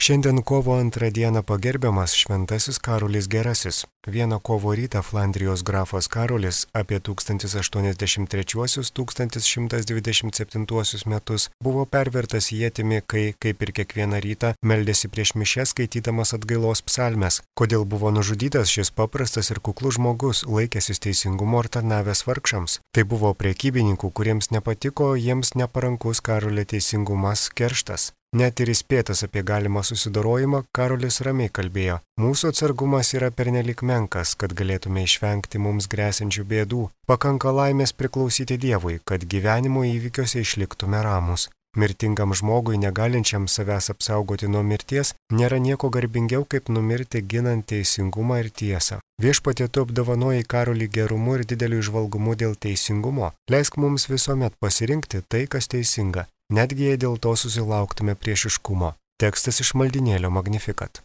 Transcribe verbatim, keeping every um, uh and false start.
Šiandien kovo antrą dieną pagerbiamas šventasis Karolis Gerasis. Vieną kovo rytą Flandrijos grafas Karolis apie tūkstantis aštuoniasdešimt trečiuosius - tūkstantis šimtas dvidešimt septintuosius metus buvo pervertas ietimi, kai, kaip ir kiekvieną rytą, meldėsi prieš mišias skaitydamas atgailos psalmes. Kodėl buvo nužudytas šis paprastas ir kuklus žmogus, laikęsis teisingumo ir tarnavęs vargšams? Tai buvo prekybininkų, kuriems nepatiko jiems neparankus Karolio teisingumas kerštas. Net ir įspėtas apie galimą susidorojimą, Karolis ramiai kalbėjo: mūsų atsargumas yra pernelik menkas, kad galėtume išvengti mums grėsiančių bėdų. Pakanka laimės priklausyti Dievui, kad gyvenimo įvykiuose išliktume ramus. Mirtingam žmogui, negalinčiam savęs apsaugoti nuo mirties, nėra nieko garbingiau, kaip numirti ginant teisingumą ir tiesą. Viešpatie, tu apdovanojai Karolį gerumu ir dideliu įžvalgumu dėl teisingumo. Leisk mums visuomet pasirinkti tai, kas teisinga, netgi jei dėl to susilauktume priešiškumo. Tekstas iš maldynėlio Magnificat.